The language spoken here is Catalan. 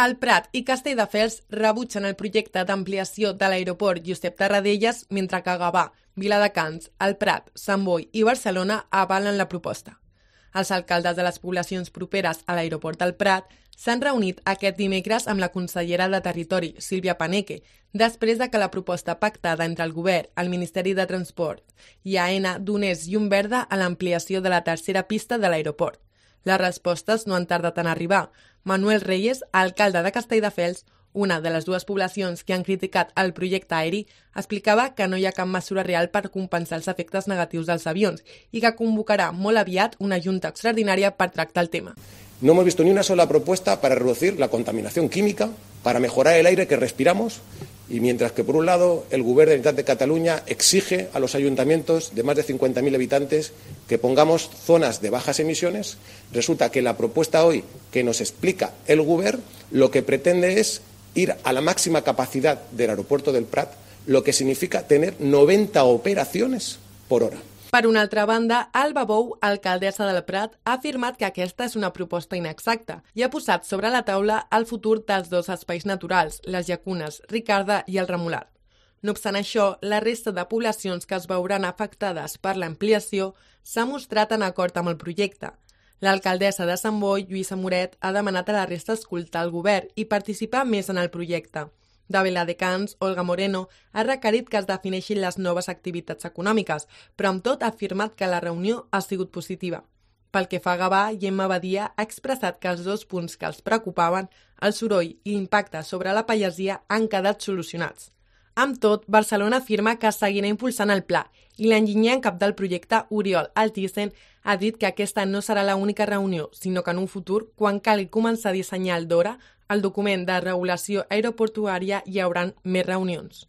El Prat i Castelldefels rebutgen el projecte d'ampliació de l'aeroport Josep Tarradellas, mentre que Gavà, Viladecans, el Prat, Sant Boi i Barcelona avalen la proposta. Els alcaldes de les poblacions properes a l'aeroport del Prat s'han reunit aquest dimecres amb la consellera de Territori, Sílvia Paneque, després de que la proposta pactada entre el Govern, el Ministeri de Transport i AENA donés llum verda a l'ampliació de la tercera pista de l'aeroport. Les respostes no han tardat en arribar. Manuel Reyes, alcalde de Castelldefels, una de les dues poblacions que han criticat el projecte aeri, explicava que no hi ha cap mesura real per compensar els efectes negatius dels avions i que convocarà molt aviat una junta extraordinària per tractar el tema. No hemos visto ni una sola propuesta para reducir la contaminación química, para mejorar el aire que respiramos, y mientras que, por un lado, el Govern de la Generalitat de Cataluña exige a los ayuntamientos de más de 50.000 habitantes que pongamos zonas de bajas emisiones, resulta que la propuesta hoy que nos explica el Govern lo que pretende es ir a la máxima capacidad del aeropuerto del Prat, lo que significa tener 90 operaciones por hora. Per una altra banda, Alba Bou, alcaldessa del Prat, ha afirmat que aquesta és una proposta inexacta i ha posat sobre la taula el futur dels dos espais naturals, les llacunes Ricarda i el Remolar. No obstant això, la resta de poblacions que es veuran afectades per l'ampliació s'ha mostrat en acord amb el projecte. L'alcaldessa de Sant Boi, Lluïsa Moret, ha demanat a la resta escoltar el govern i participar més en el projecte. De Viladecans, Olga Moreno ha requerit que es defineixin les noves activitats econòmiques, però amb tot ha afirmat que la reunió ha sigut positiva. Pel que fa a Gavà, Gemma Badia ha expressat que els dos punts que els preocupaven, el soroll i l'impacte sobre la pagesia, han quedat solucionats. Amb tot, Barcelona afirma que seguirà impulsant el pla i l'enginyer en cap del projecte, Oriol Altisent, ha dit que aquesta no serà l'única reunió, sinó que en un futur, quan calgui començar a dissenyar el DORA, el document de regulació aeroportuària, hi haurà més reunions.